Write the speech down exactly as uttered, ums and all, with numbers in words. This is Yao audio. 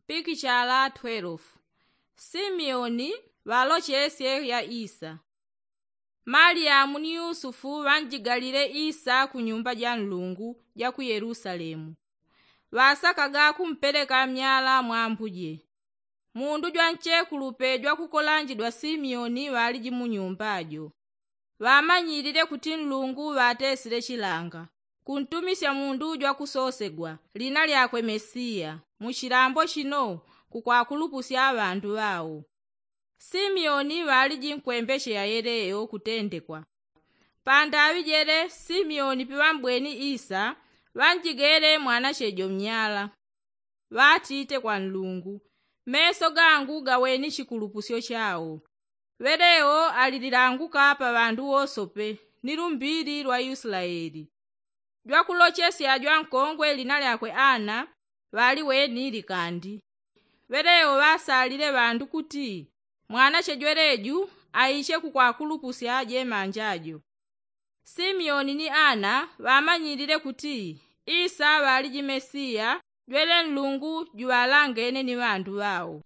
Pikichala twelve. Simioni ŵalochesye ya isa. Maliyamu ni yusufu ŵanjigalile isa ku nyumba ja nlungu ja ku yelusalemu. Ŵasakaga kumpeleka myala mwa ambuje. Mundu jwa nchekulupe jwa kukolanjidwa simioni ŵaliji mu nyumba jo. Ŵamanyilile kuti nlungu ŵatesile chilanga kuntumisya mundu jwa kusosegwa lina lyakwe mesiya mu chilambo chino kukwakulupusya ŵandu ŵao. Simioni ŵaliji nkwembeche ya yeleyo kutendekwa. Pandaŵi jele simioni piŵambweni isa ŵanjigele mwanache jo mnyala. Ŵatite kwa nlungu, meso gangu gaweni chikulupusyo chao. Ŵeleo alililanguka pa ŵandu wosope ni lumbili lwa yusilaeli. Jwakulochesya jwankongwe lina lyakwe ana ŵaliweni likandi. Ŵeleo ŵasalile ŵandu kuti mwanache jweleju aiche kukwakulupusya jemanja jo. Simioni ni ana ŵamanyilile kuti isa ŵaliji mesiya jwele nlungu juŵalangene ni ŵandu ŵao.